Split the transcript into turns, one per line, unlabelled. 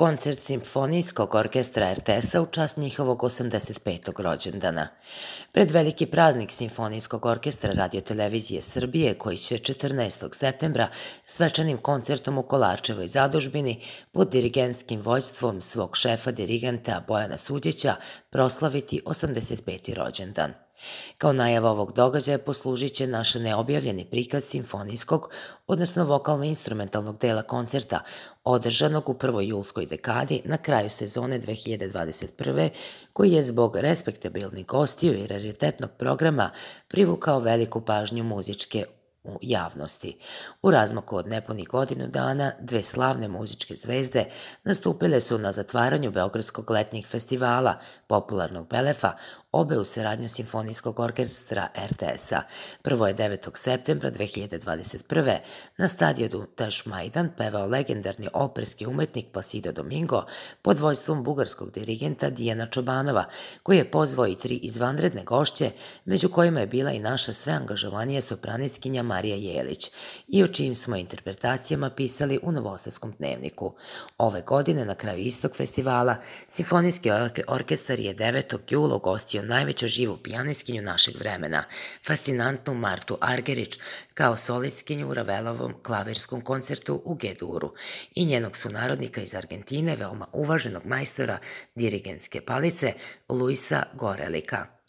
Koncert Simfonijskog orkestra RTS-a u čast njihovog 85. rođendana. Pred veliki praznik Simfonijskog orkestra Radio-televizije Srbije, koji će 14. septembra svečanim koncertom u Kolarčevoj zadužbini pod dirigentskim vođstvom svog šefa dirigenta Bojana Suđića proslaviti 85. rođendan. Kao najava ovog događaja poslužit će naš neobjavljeni prikaz simfonijskog, odnosno vokalno-instrumentalnog dela koncerta, održanog u prvoj julskoj dekadi na kraju sezone 2021. koji je zbog respektabilnih gostiju i raritetnog programa privukao veliku pažnju muzičke javnosti. U razmaku od nepunih godinu dana, dve slavne muzičke zvezde nastupile su na zatvaranju Beogradskog letnjih festivala, popularnog Belefa, obe u saradnju Simfonijskog orkestra RTS-a. Prvo je 9. septembra 2021. na stadionu Tašmajdan pevao legendarni operski umetnik Placido Domingo pod vođstvom bugarskog dirigenta Dijana Čobanova, koji je pozvao i tri izvanredne gošće, među kojima je bila i naša sve angažovanija sopranistkinja Marija Jelić, i o čijim smo interpretacijama pisali u Novosadskom dnevniku. Ove godine, na kraju istog festivala, Simfonijski orkestar je 9. jula ugostio najveću živu pijanistkinju našeg vremena, fascinantnu Martu Argerić, kao solistkinju u Ravelovom klavirskom koncertu u G-duru i njenog sunarodnika iz Argentine, veoma uvaženog majstora dirigentske palice Luisa Gorelika.